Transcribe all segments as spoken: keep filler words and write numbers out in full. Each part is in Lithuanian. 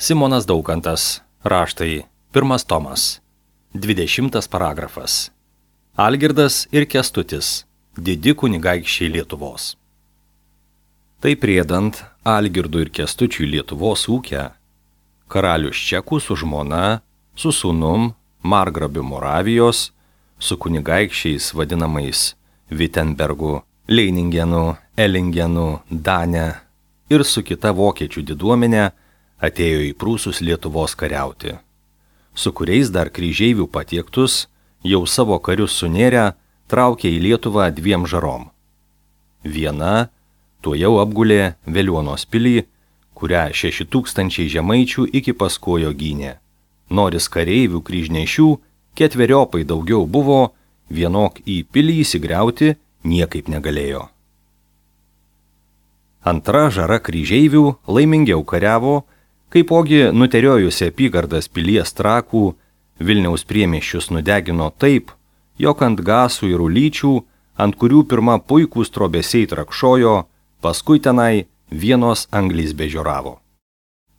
Simonas Daukantas, raštai, pirmas tomas, dvidešimtas paragrafas. Algirdas ir Kęstutis, didi kunigaikščiai Lietuvos. Tai priedant Algirdui ir Kęstučiui Lietuvos ūkę, karalius Čekų su žmona, su sūnum, margrabiu Moravijos, su kunigaikščiais vadinamais Vitenbergu, Leiningenu, Elingenu, Dane ir su kita vokiečių diduomenė atėjo į Prūsus Lietuvos kariauti, su kuriais dar kryžeivių patiektus, jau savo karius sunėrę, traukė į Lietuvą dviem žarom. Viena tuojau apgulė Veliuonos pilį, kurią šeši tūkstančiai žemaičių iki paskojo gynė. Noris kareivių kryžnešių ketveriopai daugiau buvo, vienok į pilį įsigriauti niekaip negalėjo. Antra žara kryžeivių laimingiau kariavo, kaipogi nuteriojusi apygardas pilies Trakų, Vilniaus priemiesčius nudegino taip, jog ant gasų ir ulyčių, ant kurių pirma puikūs trobesiai trakšojo, paskui tenai vienos anglys bežioravo.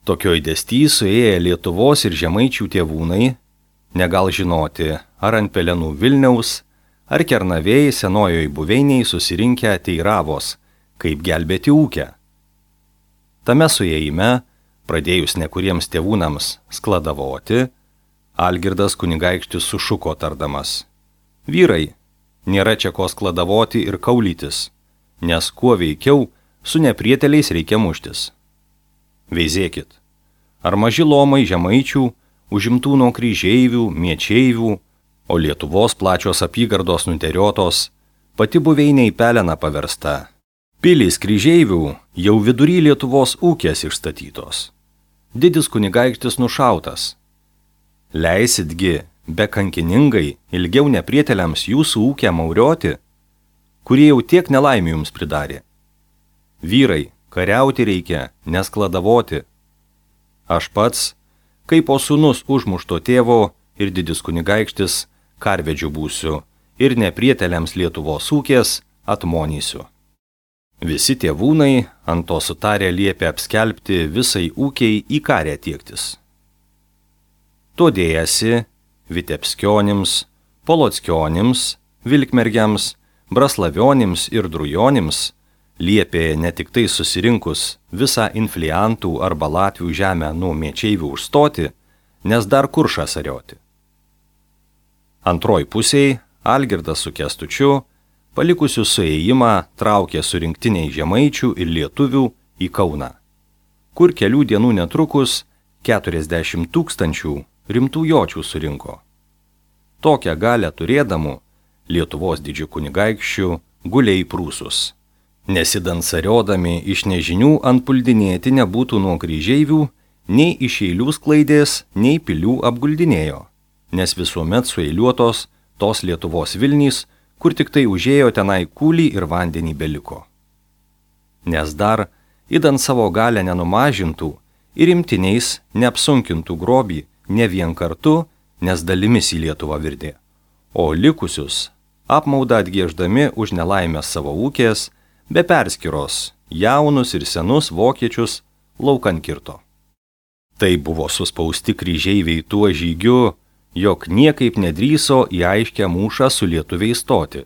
Tokioj dėsty suėję Lietuvos ir žemaičių tėvūnai, negal žinoti, ar ant pelenų Vilniaus, ar Kernavėj senojoj buveiniai susirinkę teiravos, kaip gelbėti ūkę. Tame suėjime, pradėjus nekuriems tėvūnams skladavoti, Algirdas kunigaikštis sušuko tardamas: vyrai, nėra čia ko skladavoti ir kaulytis, nes kuo veikiau su neprieteliais reikia muštis. Veizėkit, ar maži lomai žemaičių, užimtų nuo kryžeivių, miečeivių, o Lietuvos plačios apygardos nuteriotos, pati buveinė į peleną paversta. Pilys kryžeivių jau vidury Lietuvos ūkės išstatytos. Didis kunigaikštis nušautas. Leisitgi be kankiningai ilgiau neprieteliams jūsų ūkę maurioti, kurie jau tiek nelaimių jums pridarė. Vyrai, kariauti reikia, neskladavoti. Aš pats, kaip po sūnus užmušto tėvo ir didis kunigaikštis, karvedžiu būsiu ir neprieteliams Lietuvos ūkės atmonysiu. Visi tėvūnai ant to sutarė liepė apskelbti visai ūkiai į karę tiektis. To dėjasi Vitebskionims, Polockionims, Vilkmergiams, Braslavionims ir Drujonims liepė ne tik tai susirinkus visą infliantų arba Latvių žemę nuo miečeivių užstoti, nes dar kuršą sarioti. Antroj pusėj Algirdas su Kęstučiu, palikusių suėjimą, traukė su rinktiniai žemaičių ir lietuvių į Kauną, kur kelių dienų netrukus keturiasdešimt tūkstančių rimtų jočių surinko. Tokią galę turėdamų Lietuvos didžių kunigaikščių gulė į Prūsus, nesidansariodami iš nežinių antpuldinėti nebūtų nuo kryžeivių, nei iš eilių sklaidės, nei pilių apguldinėjo, nes visuomet sueiliuotos tos Lietuvos Vilnys, kur tik tai užėjo tenai kūlį ir vandenį beliko. Nes dar, idant savo galę nenumažintų ir imtiniais neapsunkintų grobį ne vien kartu, nes dalimis į Lietuvą virdė, o likusius apmaudą atgieždami už nelaimę savo ūkės, be perskiros, jaunus ir senus vokiečius laukan kirto. Tai buvo suspausti kryžeiviai tuo žygiu, jog niekaip nedrįso į aiškę mūšą su lietuviais stoti,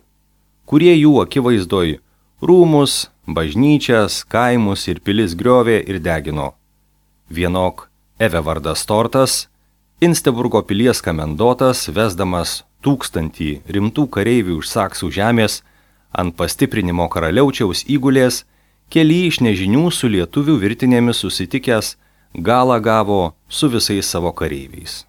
kurie jų akivaizdoj rūmus, bažnyčias, kaimus ir pilis griovė ir degino. Vienok Evevardas Tortas, Insteburgo pilies kamendotas, vesdamas tūkstantį rimtų kareivių iš Saksų žemės, ant pastiprinimo karaliaučiaus įgulės, keli iš nežinių su lietuvių virtinėmis susitikęs, galą gavo su visais savo kareiviais.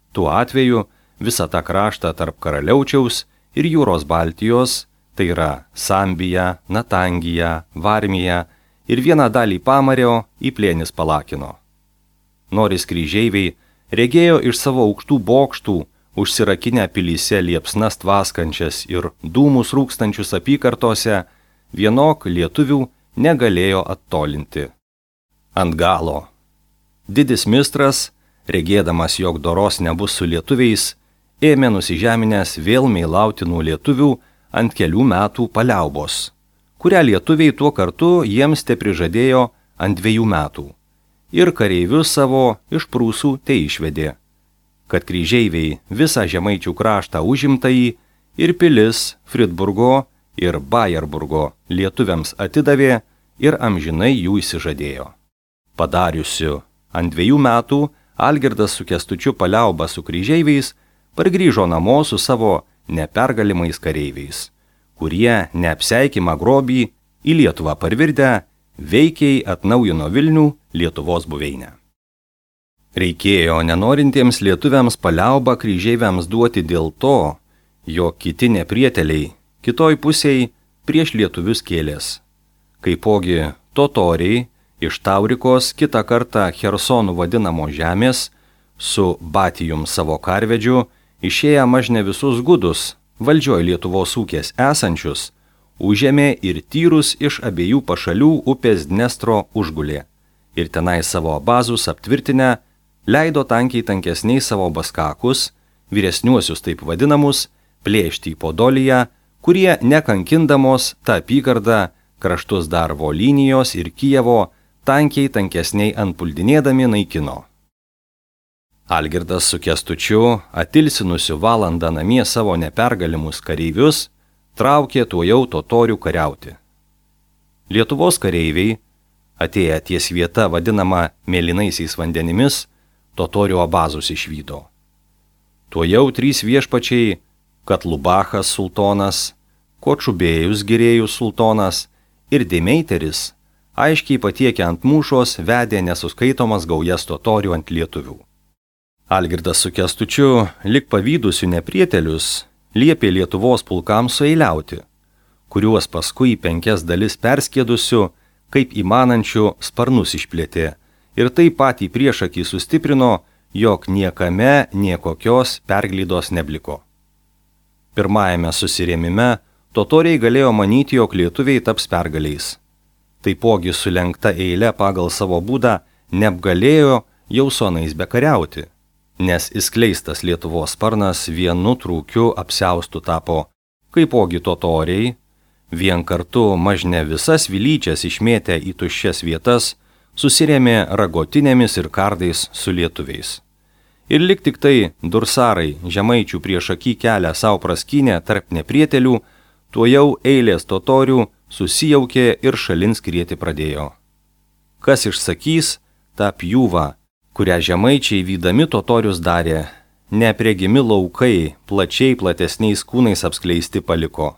Tuo atveju visą tą kraštą tarp karaliaučiaus ir jūros Baltijos, tai yra Sambija, Natangija, Varmija ir vieną dalį Pamario į plėnis palakino. Noris kryžeiviai regėjo iš savo aukštų bokštų, užsirakinę pilyse liepsnas tvaskančias ir dūmus rūkstančius apykartose, vienok lietuvių negalėjo attolinti. Ant galo. Didis mistras, regėdamas, jog doros nebus su lietuviais, ėmė nusižeminęs vėl meilauti nuo lietuvių ant kelių metų paliaubos, kurią lietuviai tuo kartu jiems te prižadėjo ant dviejų metų, ir kareivius savo iš Prūsų te išvedė, kad kryžeiviai visą Žemaičių kraštą užimtąjį ir pilis Fridburgo ir Bajerburgo lietuviams atidavė ir amžinai jų įsižadėjo. Padariusiu ant dviejų metų Algirdas su Kęstučiu paliaubą su kryžeiviais pargrįžo namo su savo nepergalimais kareiviais, kurie neapseikimą grobį į Lietuvą parvirdę veikiai atnaujino Vilnių Lietuvos buveinę. Reikėjo nenorintiems lietuviams paliaubą kryžeiviams duoti dėl to, jog kiti neprieteliai kitoj pusėj prieš lietuvius kėlės. Kaipogi totoriai iš Taurikos kitą kartą Chersonų vadinamo žemės su Batijum savo karvedžiu išėję mažne visus gudus valdžioj Lietuvos ūkės esančius, užėmė ir tyrus iš abiejų pašalių upės Dnestro užgulė ir tenai savo bazus aptvirtinę leido tankiai tankesniai savo baskakus, vyresniuosius taip vadinamus, plėšti į Podoliją, kurie nekankindamos tą apygardą kraštus dar Volinijos ir Kijevo tankiai tankesniai antpuldinėdami naikino. Algirdas su Kęstučiu, atilsinusiu valandą namie savo nepergalimus kareivius, traukė tuojau totorių kariauti. Lietuvos kareiviai, atėję ties vieta vadinama Mėlynaisiais vandenimis, totorių abazus išvydo. Tuojau trys viešpačiai, Katlubachas sultonas, Kočubėjus Girėjus sultonas ir Demeiteris, aiškiai patiekę ant mūšos, vedė nesuskaitomas gaujas totorių ant lietuvių. Algirdas su Kęstučiu, lik pavydusių neprietelius, liepė Lietuvos pulkams sueiliauti, kuriuos paskui penkias dalis perskėdusių, kaip įmanančių sparnus išplėtė, ir taip pat į priešakį sustiprino, jog niekame niekokios perglydos nebliko. Pirmajame susirėmime totoriai galėjo manyti, jog lietuviai taps pergaliais. Taipogi sulenkta eilė pagal savo būdą neapgalėjo jau sonais bekariauti, nes įskleistas Lietuvos sparnas vienu trūkiu apsiaustų tapo, kaipogi totoriai, vien kartu mažne visas vilyčias išmėtę į tuščias vietas, susirėmė ragotinėmis ir kardais su lietuviais. Ir lik tik tai dursarai žemaičių priešakį kelią savo praskynę tarp neprietelių, tuojau eilės totorių susijaukė ir šalin skrieti pradėjo. Kas išsakys tą pjūvą, kurią žemaičiai vydami totorius darė, nepriegimi laukai plačiai platesniais kūnais apskleisti paliko.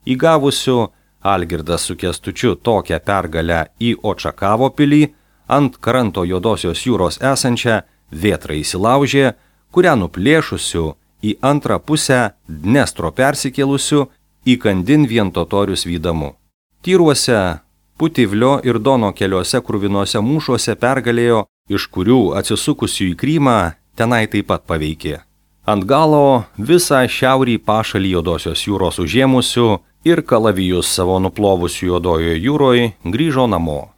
Įgavusiu Algirdas su Kęstučiu tokią pergalę į Očakavo pilį, ant kranto Juodosios jūros esančią Vėtrą įsilaužė, kurią nuplėšusiu į antrą pusę Dnestro persikėlusiu įkandin vien totorius vydamu. Tyruose, Putivlio ir Dono keliuose kruvinuose mūšuose pergalėjo, iš kurių atsisukusių į Krymą tenai taip pat paveikė. Ant galo visą šiaurį pašalį Juodosios jūros užėmusių ir kalavijus savo nuplovusių Juodojoje jūroje grįžo namo.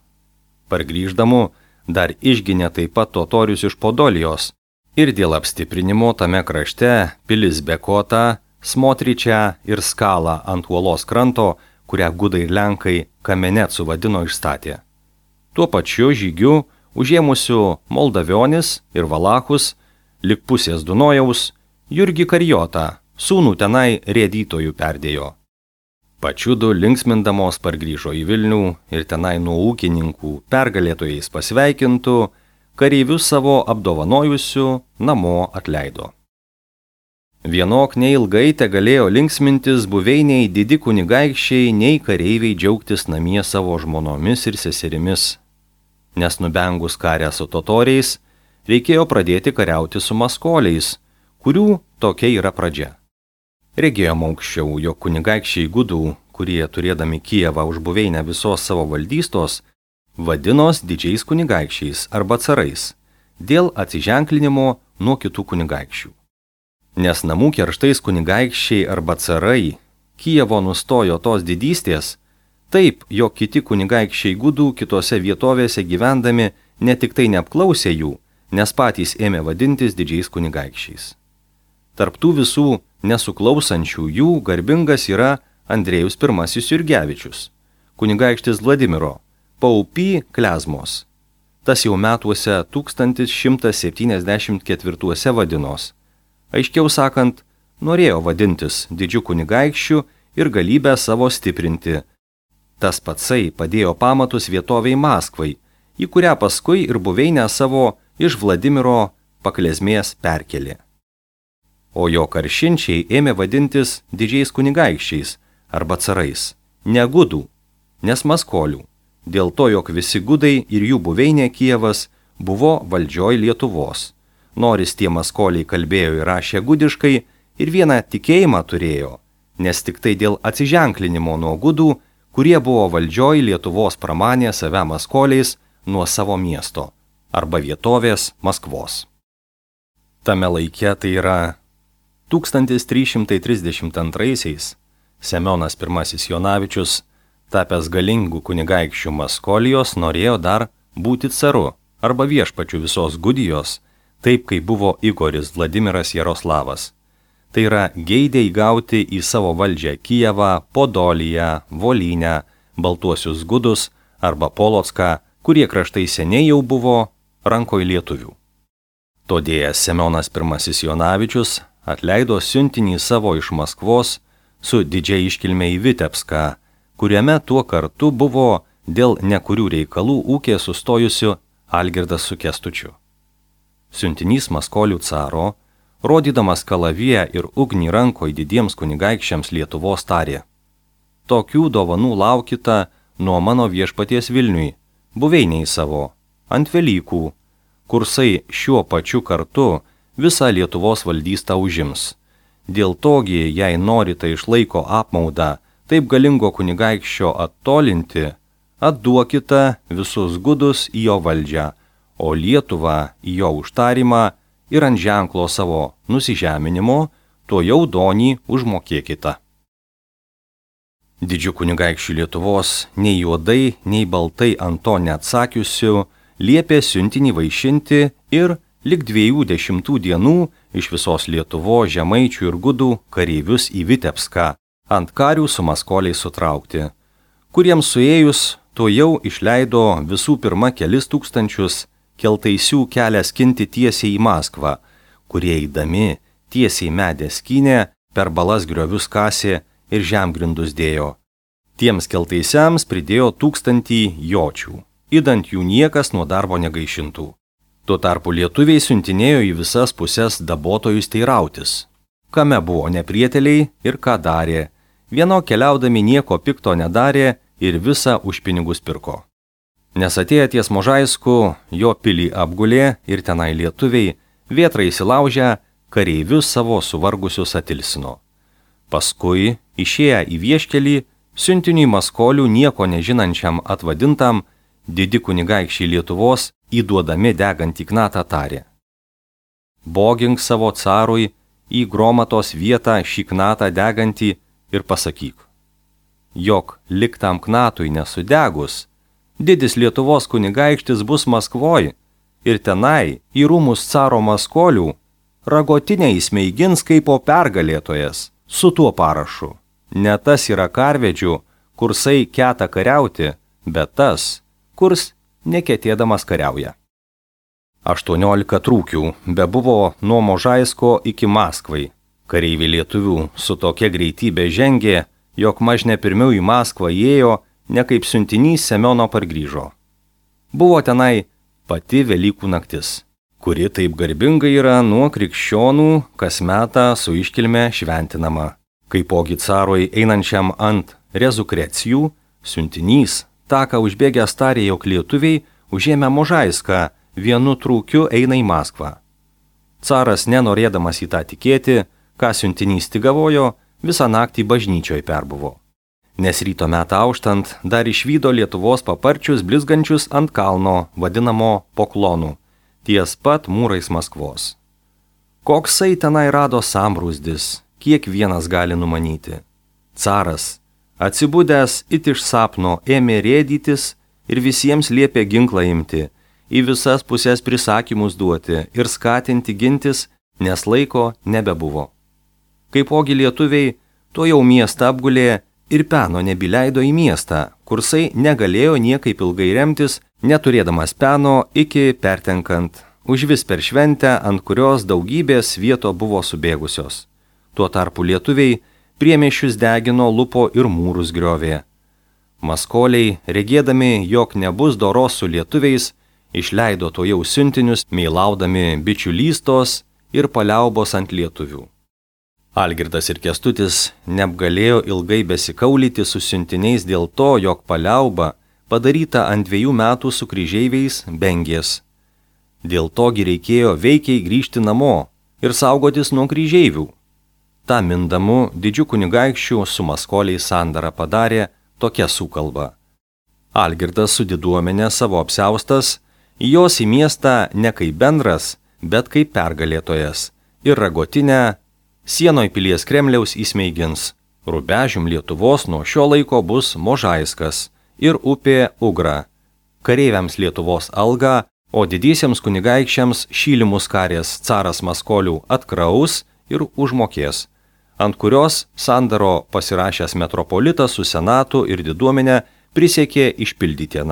Pargrįždamu dar išginė taip pat totorius iš Podolijos ir dėl apstiprinimo tame krašte pilis Bekota, Smotričią ir Skalą ant uolos kranto, kurią gudai ir lenkai Kamenecu vadino, išstatė. Tuo pačiu žygiu užėmusių Moldavionis ir Valachus, lik pusės Dunojaus, Jurgį Karijotą, sūnų tenai rėdytojų perdėjo. Pačiudu linksmindamos pargrįžo į Vilnių ir tenai nuo ūkininkų pergalėtojais pasveikintų, kareivius savo apdovanojusių namo atleido. Vienok neilgai te galėjo linksmintis buveiniai didi kunigaikščiai, nei kareiviai džiaugtis namie savo žmonomis ir seserimis. Nes nubengus karę su totoriais, reikėjo pradėti kariauti su maskoliais, kurių tokia yra pradžia. Regėjom aukščiau, jog kunigaikščiai gudų, kurie turėdami Kijevą už buveinę visos savo valdystos, vadinos didžiais kunigaikščiais arba carais, dėl atsiženklinimo nuo kitų kunigaikščių. Nes namų kerštais kunigaikščiai arba carai Kijevo nustojo tos didystės, taip, jog kiti kunigaikščiai gudų kitose vietovėse gyvendami ne tik tai neapklausė jų, nes patys ėmė vadintis didžiais kunigaikščiais. Tarptų visų nesuklausančių jų garbingas yra Andrėjus I Jurgevičius, kunigaikštis Vladimiro, Paupy Klezmos, tas jau metuose tūkstantis šimtas septyniasdešimt ketvirtuose vadinos. Aiškiau sakant, norėjo vadintis didžiu kunigaikščiu ir galybę savo stiprinti. Tas patsai padėjo pamatus vietoviai Maskvai, į kurią paskui ir buveinę savo iš Vladimiro paklezmės perkelė. O jo karšinčiai ėmė vadintis didžiais kunigaikščiais arba carais, ne gudų, nes maskolių, dėl to, jog visi gudai ir jų buveinė Kijevas buvo valdžioj Lietuvos. Noris tie maskoliai kalbėjo ir rašė gudiškai ir vieną tikėjimą turėjo, nes tik tai dėl atsiženklinimo nuo gudų, kurie buvo valdžioj Lietuvos pramanė save maskoliais nuo savo miesto arba vietovės Maskvos. Tame laike, tai yra tūkstantis trys šimtai trisdešimt antraisiais, Semionas pirmasis Jonavičius, tapęs galingų kunigaikščių Maskolijos, norėjo dar būti caru arba viešpačiu visos Gudijos, taip kaip buvo Igoris Vladimiras Jaroslavas. Tai yra geidė įgauti į savo valdžią Kijevą, Podoliją, Volynę, Baltuosius Gudus arba Polocką, kurie kraštai seniai jau buvo rankoj lietuvių. Todėl Semionas pirmasis Jonavičius atleido siuntinį savo iš Maskvos su didžia iškilme į Vitebską, kuriame tuo kartu buvo dėl nekurių reikalų ūkė sustojusių Algirdas su Kęstučiu. Siuntinys maskolių caro, rodydamas kalaviją ir ugnį rankoj didiems kunigaikščiams Lietuvos tarė: tokių dovanų laukita nuo mano viešpaties Vilniui, buveiniai savo, ant Velykų, kursai šiuo pačiu kartu visą Lietuvos valdystą užims. Dėl togi, jei norite išlaiko apmaudą taip galingo kunigaikščio attolinti, atduokite visus gudus į jo valdžią, o Lietuvą į jo užtarimą ir ant ženklo savo nusižeminimo to jau donį užmokėkite. Didžių kunigaikščių Lietuvos nei juodai, nei baltai ant to neatsakiusių liepė siuntinį vaišinti ir lik dviejų dešimtų dienų iš visos Lietuvos žemaičių ir gudų kareivius į Vitebską, ant karių su maskoliais sutraukti, kuriems suėjus to jau išleido visų pirma kelis tūkstančius keltaisių kelią skinti tiesiai į Maskvą, kurie eidami tiesiai medę skynė, per balas griovius kasė ir žemgrindus dėjo. Tiems keltaisiams pridėjo tūkstantį jočių, idant jų niekas nuo darbo negaišintų. Tuo tarpu lietuviai siuntinėjo į visas pusės dabotojus teirautis, kame buvo neprieteliai ir ką darė. Vieno keliaudami nieko pikto nedarė ir visą už pinigus pirko. Nes atėję ties Možaisku, jo pilį apgulė ir tenai lietuviai, vėtrai įsilaužę, kareivius savo suvargusius atilsino. Paskui, išėję į vieškelį, siuntiniui maskolių nieko nežinančiam atvadintam, didi kunigaikščiai Lietuvos įduodami degantį knatą tarė: bogink savo carui į Gromatos vietą šį knatą degantį ir pasakyk, jog liktam knatui nesudegus, didis Lietuvos kunigaikštis bus Maskvoj ir tenai į rūmus caro maskolių ragotinę įsmeigins kaip po pergalėtojas su tuo parašu. Ne tas yra karvedžių, kursai keta kariauti, bet tas, kurs neketėdamas kariauja. Aštuoniolika trūkių bebuvo nuo Možaisko iki Maskvai. Kareiviai lietuvių su tokia greitybė žengė, jog mažne pirmiau į Maskvą įėjo, ne kaip siuntinys Semiono pargrįžo. Buvo tenai pati Velykų naktis, kuri taip garbingai yra nuo krikščionų kas metą su iškilme šventinama. Kaipogi carui einančiam ant rezukrecijų, siuntinys taką užbėgęs tarė, jog lietuviai užėmę Možaiską vienu trūkiu eina į Maskvą. Caras, nenorėdamas į tą tikėti, ką siuntinys tigavojo, visą naktį bažnyčioj perbuvo. Nes ryto metą auštant dar išvydo Lietuvos paparčius blizgančius ant kalno, vadinamo Poklonu, ties pat mūrais Maskvos. Koksai tenai rado sambrūzdis, kiekvienas gali numanyti. Caras, atsibudęs it iš sapno, ėmė rėdytis ir visiems liepė ginklą imti, į visas pusės prisakymus duoti ir skatinti gintis, nes laiko nebebuvo. Kaipogi lietuviai to jau miestą apgulė ir peno nebileido į miestą, kursai negalėjo niekaip ilgai remtis, neturėdamas peno iki pertenkant, užvis per šventę, ant kurios daugybės svieto buvo subėgusios. Tuo tarpu lietuviai priemiesčius degino, lupo ir mūrus griovė. Maskoliai, regėdami, jog nebus doros su lietuviais, išleido to jau siuntinius, meilaudami bičiulystos ir paliaubos ant lietuvių. Algirdas ir Kęstutis neapgalėjo ilgai besikaulyti su siuntiniais dėl to, jog paliauba padaryta ant dviejų metų su kryžeiviais bengės. Dėl togi reikėjo veikiai grįžti namo ir saugotis nuo kryžeivių. Ta mindamu didžių kunigaikščių su maskoliais sandarą padarė tokia sukalba. Algirdas su diduomenė savo apsiaustas, jos į miestą ne kaip bendras, bet kaip pergalėtojas, ir Ragotinę sienoj pilies Kremliaus įsmeigins. Rubežium Lietuvos nuo šio laiko bus Možaiskas ir upė Ugra. Kareiviams Lietuvos algą, o didiesiems kunigaikščiams šylimus karės caras maskolių atkraus ir užmokės, ant kurios sandaro pasirašęs metropolitas su senatu ir diduomenė prisiekė išpildyti.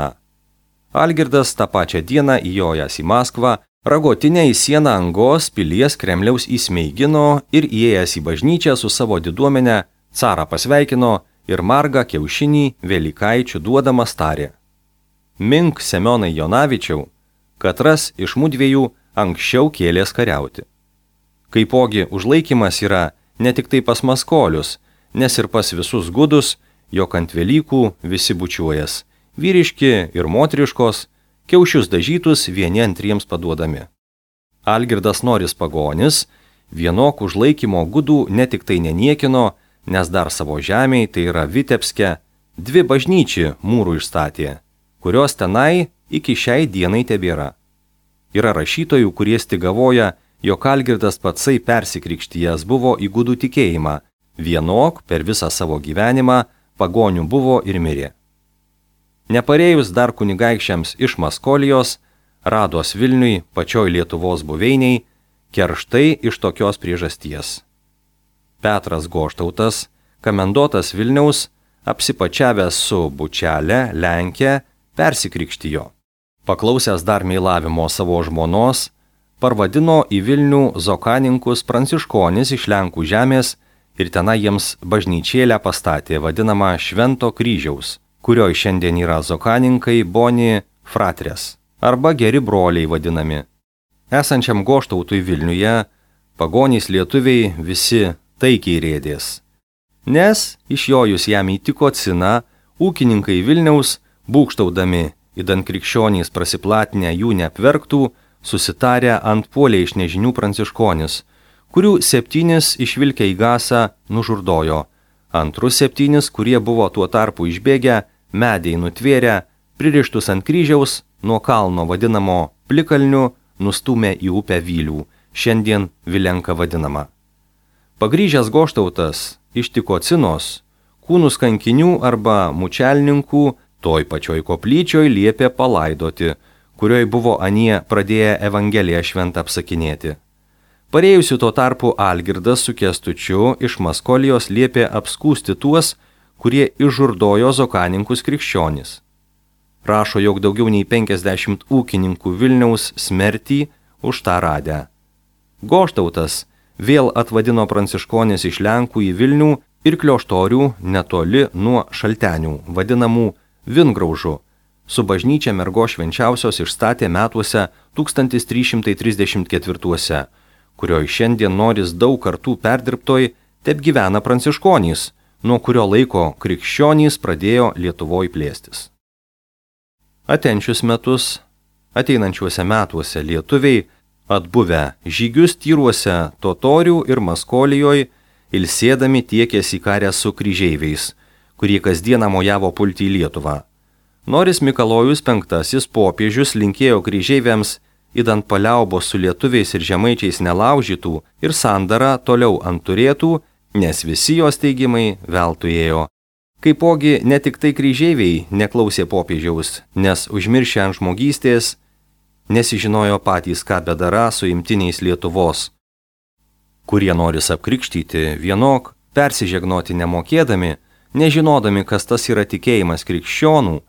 Algirdas tą pačią dieną įjojęs į Maskvą, Ragotinę į sieną Angos pilies Kremliaus įsmeigino ir įėjęs į bažnyčią su savo diduomenė carą pasveikino ir margą kiaušinį Velykaičių duodamas tarė: Mink Semionai Jonavičiau, katras iš mudviejų anksčiau kėlės kariauti. Kaipogi užlaikymas yra ne tik tai pas maskolius, nes ir pas visus gudus, jog ant Velykų visi bučiuojas, vyriški ir moteriškos, kiaušius dažytus vieni antriems paduodami. Algirdas Noris pagonis vienok užlaikymo gudų ne tik tai neniekino, nes dar savo žemėj, tai yra Vitebske, dvi bažnyčių mūrų išstatė, kurios tenai iki šiai dienai tebėra. Yra rašytojų, kurie stigavoja, jog Algirdas patsai persikrikštijęs buvo į gudų tikėjimą, vienok per visą savo gyvenimą pagonių buvo ir mirė. Neparėjus dar kunigaikščiams iš Maskolijos, rados Vilniui pačioj Lietuvos buveiniai, kerštai iš tokios priežasties. Petras Goštautas, komendotas Vilniaus, apsipačiavęs su bučelė Lenkė, persikrikštijo. Paklausęs dar meilavimo savo žmonos, parvadino į Vilnių zokaninkus pranciškonis iš Lenkų žemės ir tenai jiems bažnyčėlę pastatė vadinamą Švento kryžiaus, kurioj šiandien yra zokaninkai Boni fratres, arba geri broliai vadinami. Esančiam Goštautui Vilniuje pagonys lietuviai visi taikiai rėdės. Nes išjojus jam įtiko cina, ūkininkai Vilniaus, būkštaudami, įdant krikščionys prasiplatinę jų neapverktų, susitarę ant puolė iš nežinių pranciškonis, kurių septynis išvilkę į gasą nužurdojo, antrus septynis, kurie buvo tuo tarpu išbėgę, mediai nutvėrę, pririštus ant kryžiaus, nuo kalno vadinamo Plikalniu, nustūmė į upę Vylių, šiandien Vilenka vadinama. Pagrįžęs Goštautas ištiko cinos, kūnus kankinių arba mučelninkų toj pačioj koplyčioj liepė palaidoti, kurioj buvo anie pradėję Evangeliją šventą apsakinėti. Parėjusiu tuo tarpu Algirdas su Kęstučiu iš Maskolijos liepė apskūsti tuos, kurie išžurdojo zokaninkus krikščionis. Rašo, jog daugiau nei penkiasdešimt ūkininkų Vilniaus smertį už tą radę. Goštautas vėl atvadino pranciškonis iš Lenkų į Vilnių ir Klioštorių netoli nuo Šaltenių, vadinamų Vingraužų, su bažnyčia Mergos švenčiausios išstatė metuose tūkstantis trys šimtai trisdešimt ketvirtuose, kurioj šiandien Noris daug kartų perdirbtoj tep gyvena pranciškonys, nuo kurio laiko krikščionys pradėjo Lietuvoj plėstis. Atenčius metus, ateinančiuose metuose lietuviai, atbuvę žygius tyruose Totorių ir Maskolijoj, ilsėdami tiekėsi karę su kryžeiviais, kurie kasdieną mojavo pulti į Lietuvą. Noris Mikalojus penktasis popiežius linkėjo kryžeiviams, įdant paliaubos su lietuviais ir žemaičiais nelaužytų ir sandarą toliau ant turėtų, nes visi jos teigimai veltui ėjo. Kaipogi ne tik tai kryžeiviai neklausė popiežiaus, nes užmiršę ant žmogystės, nesižinojo patys, ką bedara su imtiniais Lietuvos, kurie Noris apkrikštyti vienok, persižegnoti nemokėdami, nežinodami, kas tas yra tikėjimas krikščionų,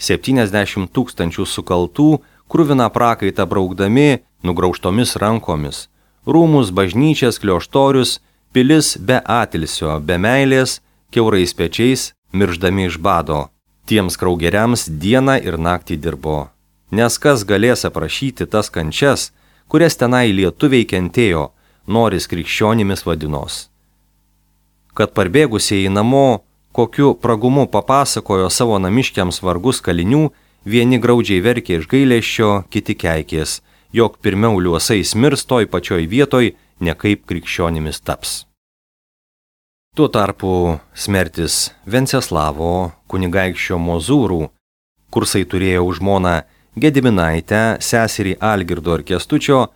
septyniasdešimt tūkstančių sukaltų, kruviną prakaitą braukdami nugraužtomis rankomis, rūmus, bažnyčias, klioštorius, pilis be atilsio, be meilės, kiaurais pečiais, mirždami iš bado. Tiems kraugeriams dieną ir naktį dirbo. Nes kas galės aprašyti tas kančias, kurias tenai lietuviai kentėjo, noris krikščionimis vadinos. Kad parbėgusieji namo, kokiu pragumu papasakojo savo namiškiams vargus kalinių, vieni graudžiai verkė iš gailesčio, kiti keikės, jog pirmiau liuosais mirs toj pačioj vietoj, ne kaip krikščionimis taps. Tuo tarpu smertis Venceslavo kunigaikščio Mozūrų, kursai turėjo už žmoną Gediminaitę, seserį Algirdo ir Kęstučio,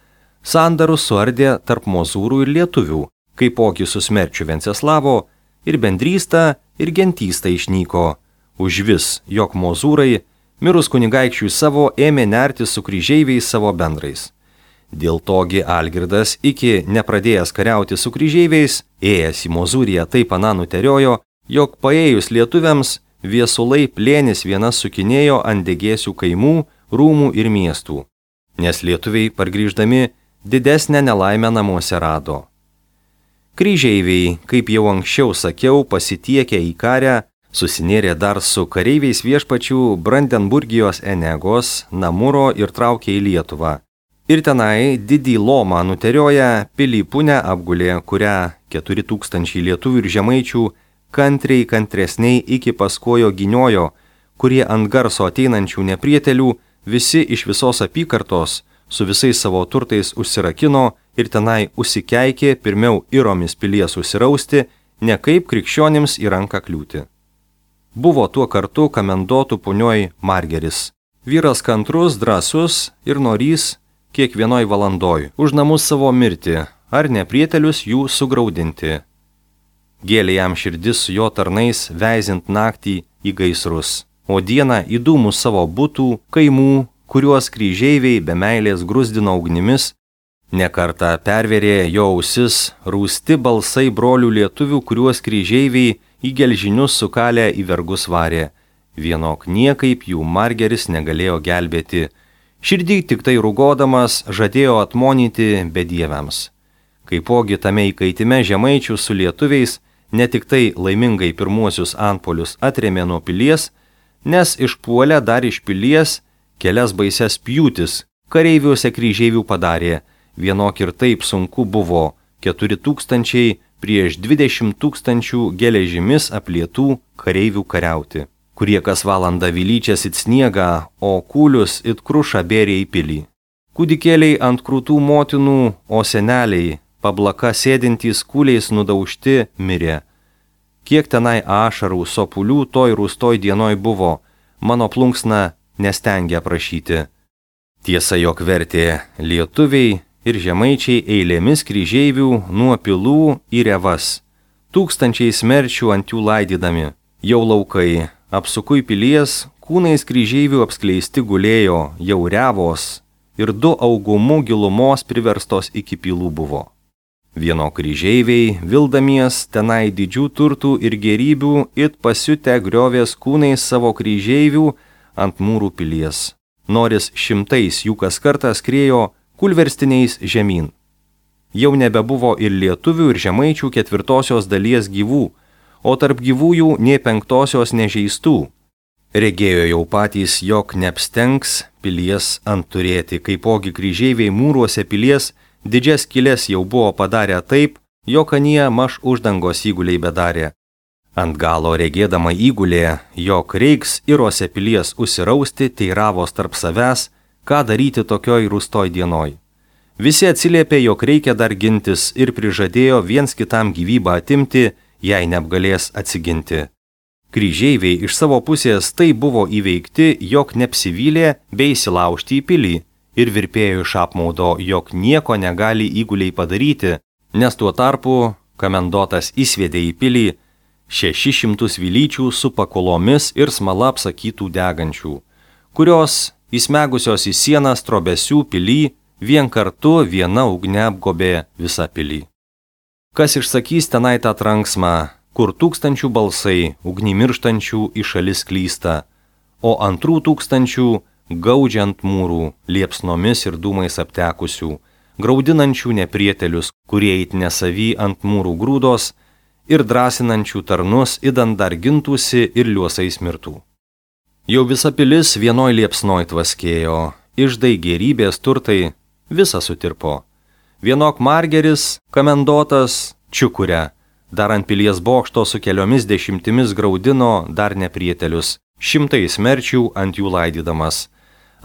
sandarus suardė tarp Mozūrų ir lietuvių, kaipogi su smerčiu Venceslavo ir bendrysta ir gentysta išnyko, užvis, jog Mozūrai, mirus kunigaikščiui savo, ėmė nertis su kryžeiviais savo bendrais. Dėl togi Algirdas, iki nepradėjęs kariauti su kryžeiviais, ėjęs į Mozūriją taip aną nuteriojo, jog paėjus lietuviams, viesulai plėnis vienas sukinėjo ant degėsių kaimų, rūmų ir miestų, nes lietuviai pargrįždami didesnę nelaimę namuose rado. Kryžeiviai, kaip jau anksčiau sakiau, pasitiekę į karę, susinėrė dar su kareiviais viešpačių Brandenburgijos Enegos, Namuro ir traukė į Lietuvą. Ir tenai didį lomą nuterioja pilį Punę apgulė, kurią keturi tūkstančiai lietuvių ir žemaičių kantriai kantresniai iki paskojo giniojo, kurie ant garso ateinančių neprietelių visi iš visos apykartos su visais savo turtais užsirakino ir tenai užsikeikė pirmiau iromis pilies užsirausti, ne kaip krikščionims į ranką kliūti. Buvo tuo kartu kamendotų punioj Margeris. Vyras kantrus, drąsus ir norys kiekvienoj valandoj už namus savo mirti, ar neprietelius jų sugraudinti. Gėlė jam širdis su jo tarnais veizint naktį į gaisrus, o dieną į dūmus savo butų, kaimų, kuriuos kryžeiviai be meilės grusdino ugnimis, nekartą perverė jo ausis rūsti balsai brolių lietuvių, kuriuos kryžeiviai į gelžinius sukalę į vergus varė. Vienok niekaip jų Margeris negalėjo gelbėti. Širdį tik tai rūgodamas žadėjo atmonyti bedieviams. Kaipogi tame įkaitime žemaičių su lietuviais ne tik tai laimingai pirmuosius antpolius atrėmė nuo pilies, nes išpuolę dar iš pilies kelias baises pjūtis kareiviuose kryžeivių padarė, vienok ir taip sunku buvo keturi tūkstančiai prieš dvidešimt tūkstančių geležimis aplietų kareivių kariauti, kurie kas valandą vilyčias it sniegą, o kūlius it krušą bėrė į pilį. Kūdikėliai ant krūtų motinų, o seneliai, pablaka sėdintys kūliais nudaužti, mirė. Kiek tenai ašarų, sopulių toj rūstoj dienoj buvo, mano plunksna nestengia prašyti. Tiesa, jog vertė lietuviai ir žemaičiai eilėmis kryžeivių nuo pilų į revas, tūkstančiai smerčių ant jų laidydami, jau laukai, apsukui pilies, kūnais kryžeivių apskleisti gulėjo, jau revos, ir du augumų gilumos priverstos iki pilų buvo. Vieno kryžeiviai, vildamies tenai didžių turtų ir gerybių, it pasiutę griovės kūnais savo kryžeivių ant mūrų pilies. Noris šimtais jų kas kartą skriejo kulverstiniais žemyn. Jau nebebuvo ir lietuvių ir žemaičių ketvirtosios dalies gyvų, o tarp gyvųjų nė penktosios nežeistų. Regėjo jau patys, jog neapstengs pilies ant turėti, kaipogi kryžeiviai mūruose pilies didžias skylės jau buvo padarę taip, jog anie maž uždangos įguliai bedarė. Ant galo regėdama įgulė, jog reiks irose pilies užsirausti, teiravos tarp savęs, ką daryti tokioj rūstoj dienoj. Visi atsiliepė, jog reikia dar gintis ir prižadėjo viens kitam gyvybą atimti, jei neapgalės atsiginti. Kryžeiviai iš savo pusės tai buvo įveikti, jog neapsivylė bei įsilaužti į pilį ir virpėjo iš apmaudo, jog nieko negali įguliai padaryti, nes tuo tarpu kamendotas įsviedė į pilį šešis šimtus vilyčių su pakolomis ir smala apsakytų degančių, kurios įsmegusios į sienas trobesių pilį vien kartu viena ugne apgobė visą pilį. Kas išsakys tenai tą tranksmą, kur tūkstančių balsai ugnį mirštančių į šalis klysta, o antrų tūkstančių gaudžiant mūrų, liepsnomis ir dūmais aptekusių, graudinančių neprietelius, kurie it nesavy ant mūrų grūdos, ir drąsinančių tarnus, idant dar gintųsi ir liuosais mirtų. Jau visa pilis vienoj liepsnoj tvaskėjo, iždai gėrybės turtai, visa sutirpo. Vienok margeris, kamendotas, čiukuria, dar ant pilies bokšto su keliomis dešimtimis graudino dar neprietelius, šimtais merčių ant jų laidydamas.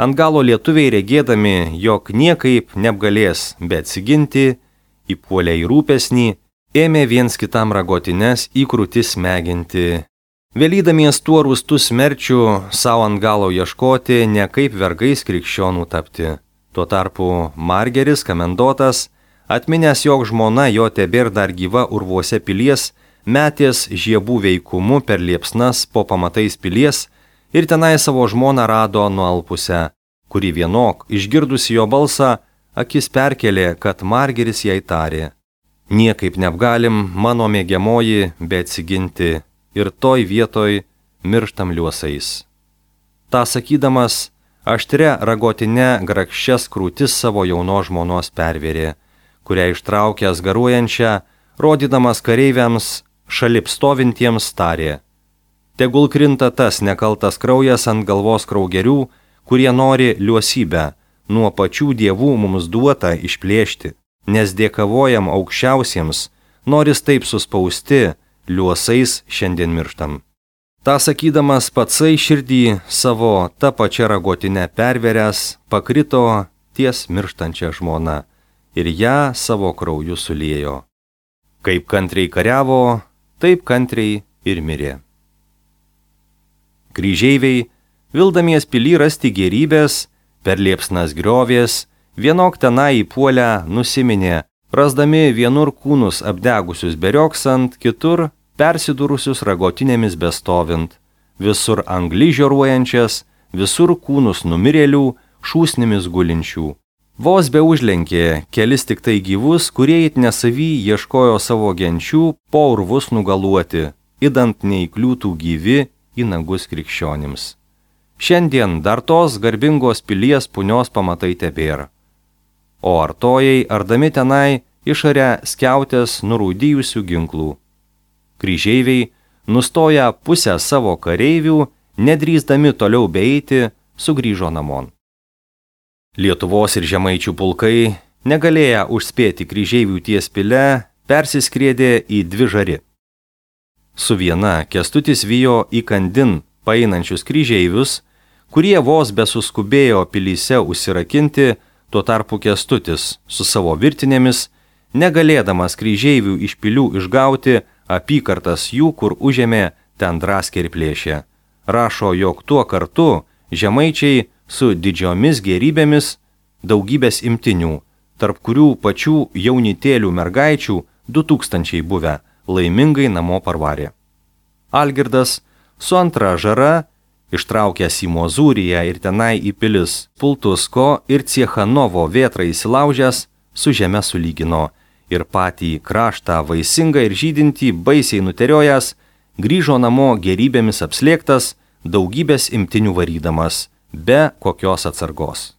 Ant galo lietuviai regėdami, jog niekaip neapgalės, bet atsiginti, įpuolė į rūpesnį, ėmė viens kitam ragotines į krūtis smeginti. Vėlydamies tuo rūstų smerčių savo ant galo ieškoti, ne kaip vergais krikščionų tapti. Tuo tarpu margeris, kamendotas, atminęs, jog žmona jo tebėr dar gyva urvuose pilies, metės žiebų veikumu per liepsnas po pamatais pilies ir tenai savo žmoną rado nualpusią, kuri vienok, išgirdusi jo balsą, akis perkelė, kad margeris jai tarė: niekaip neapgalim, mano mėgiamoji, bet atsiginti, ir toj vietoj mirštam liuosais. Ta sakydamas, aštria ragotine grakščias krūtis savo jaunos žmonos pervėrė, kurią ištraukęs garuojančią, rodydamas kareiviams šalip stovintiems tarė: tegul krinta tas nekaltas kraujas ant galvos kraugerių, kurie nori liuosybę nuo pačių dievų mums duotą išplėšti, nes dėkavojam aukščiausiems, noris taip suspausti, liuosais šiandien mirštam. Ta sakydamas patsai širdį savo tą pačią ragotinę perveręs, pakrito ties mirštančią žmoną ir ją savo krauju suliejo. Kaip kantriai kariavo, taip kantriai ir mirė. Kryžeiviai, vildamies pilį rasti gėrybės, per liepsnas griovės, vienok tenai įpuolę nusiminė, rasdami vienur kūnus apdegusius berioksant, kitur persidūrusius ragotinėmis bestovint, visur angli žioruojančias, visur kūnus numirėlių, šūsnimis gulinčių. Vos be užlenkė kelis tik tai gyvus, kurie it nesavy ieškojo savo genčių po urvus nugaluoti, idant neįkliūtų gyvi į nagus krikščionims. Šiandien dar tos garbingos pilies punios pamatai tebėra. O artojai ardami tenai išarė skiautės nurūdijusių ginklų. Kryžeiviai, nustoję pusę savo kareivių, nedrįsdami toliau beeiti, sugrįžo namon. Lietuvos ir žemaičių pulkai, negalėję užspėti kryžeivių ties pile, persiskriedė į dvi žari. Su viena Kęstutis vijo įkandin paeinančius kryžeivius, kurie vos besuskubėjo pilyse užsirakinti, tuo tarpu Kęstutis su savo virtinėmis, negalėdamas kryžeivių iš pilių išgauti, apykartas jų, kur užėmė, ten draskė ir plėšė. Rašo, jog tuo kartu žemaičiai su didžiomis gėrybėmis daugybės imtinių, tarp kurių pačių jaunitėlių mergaičių du tūkstančiai buvę, laimingai namo parvarė. Algirdas su antra žara, ištraukęs į Mozūriją ir tenai į pilis Pultusko ir Ciechanovo vėtrą įsilaužęs, su žeme sulygino ir patį kraštą vaisingą ir žydintį baisiai nuteriojęs, grįžo namo gėrybėmis apslėgtas, daugybės imtinių varydamas, be kokios atsargos.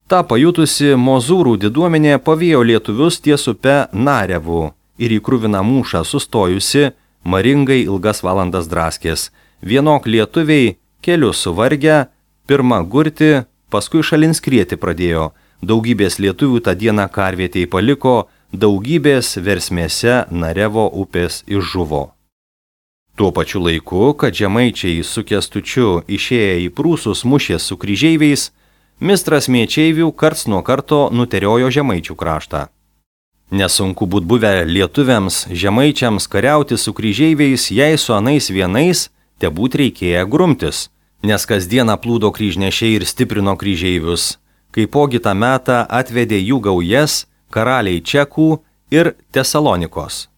Ta pajutusi Mozūrų diduomenė pavijo lietuvius ties upe Narevu ir į kruviną mūšą sustojusi, maringai ilgas valandas draskės. Vienok lietuviai keliu suvargę, pirmą gurti, paskui šalin skrieti pradėjo. Daugybės lietuvių tą dieną karvietėj paliko, daugybės versmėse Narevo upės išžuvo. Tuo pačiu laiku, kad žemaičiai su Kęstučiu išėję į prūsus mušė su kryžeiviais, mistras Mėčeivių karts nuo karto nuteriojo žemaičių kraštą. Nesunku būt buvę lietuviams žemaičiams kariauti su kryžeiviais, jei su anais vienais tebūt reikėję grumtis, nes kasdieną plūdo kryžnešiai ir stiprino kryžeivius. Kaipogi tą metą atvedė jų gaujas karaliai Čekų ir Tesalonikos,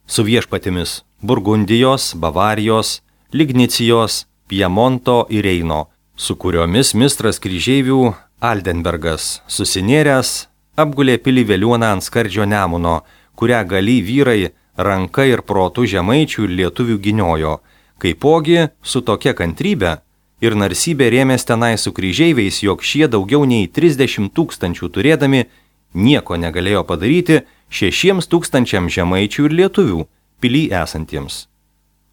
su viešpatimis Burgundijos, Bavarijos, Lignicijos, Piemonto ir Reino, su kuriomis mistras kryžeivių Aldenbergas susinėręs apgulė pilį vėliuoną ant skardžio Nemuno, kurią gali vyrai ranka ir protu žemaičių ir lietuvių giniojo. Kaipogi su tokia kantrybė ir narsybė rėmės tenai su kryžeiviais, jog šie daugiau nei trisdešimt tūkstančių turėdami nieko negalėjo padaryti šešiems tūkstančiams žemaičių ir lietuvių pily esantiems.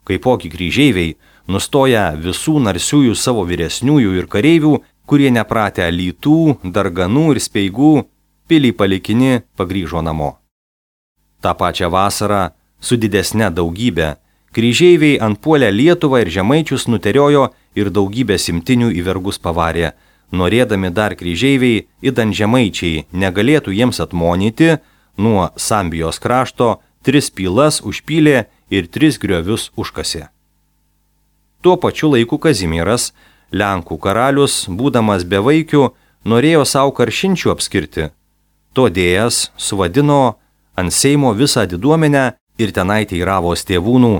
Kaipogi kryžeiviai, nustoja visų narsiųjų savo vyresniųjų ir kareivių, kurie nepratę lytų, darganų ir speigų, pilį palikini pagrįžo namo. Ta pačią vasarą, su didesne daugybė, kryžeiviai antpuolę Lietuvą ir žemaičius nuteriojo ir daugybę simtinių į vergus pavarė, norėdami dar kryžeiviai, idant žemaičiai negalėtų jiems atmonyti, nuo Sambijos krašto tris pylas užpylė ir tris griovius užkasė. Tuo pačiu laiku Kazimieras, Lenkų karalius, būdamas bevaikiu, norėjo savo karšinčių apskirti. Todėjas suvadino ant Seimo visą diduomenę ir tenai teiravos tėvūnų,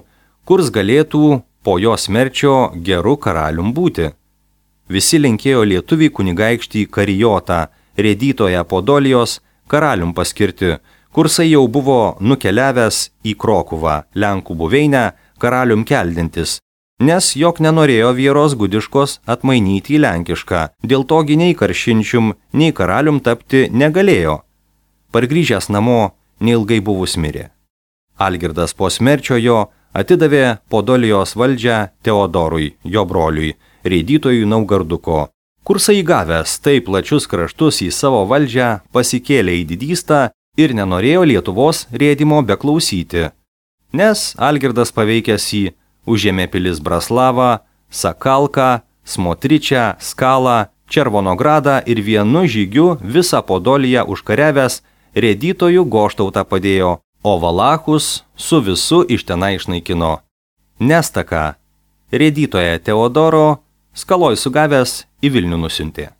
kurs galėtų po jo smerčio geru karalium būti. Visi linkėjo lietuvį kunigaikštį Karijotą, Rėdytoją Podolijos, karalium paskirti, kursai jau buvo nukeliavęs į Krokuvą, Lenkų buveinę, karalium keldintis, nes jog nenorėjo Vieros Gudiškos atmainyti į lenkišką, dėl to nei karšinčium, nei karalium tapti negalėjo. Pargrįžęs namo, neilgai buvus mirė. Algirdas po smerčio jo atidavė Podolijos valdžią Teodorui, jo broliui, Rėdytojui Naugarduko. Kursai įgavęs taip plačius kraštus į savo valdžią pasikėlė į didystą ir nenorėjo Lietuvos rėdimo beklausyti, nes Algirdas paveikęs jį užėmė pilis Braslavą, Sakalką, Smotričią, Skalą, Červonogradą ir vienu žygiu visą Podoliją užkariavęs Rėdytojų Goštautą padėjo, o Valachus su visu iš tenai išnaikino. Nestaką Rėdytoją Teodoro Skaloj sugavęs į Vilnių nusiuntė.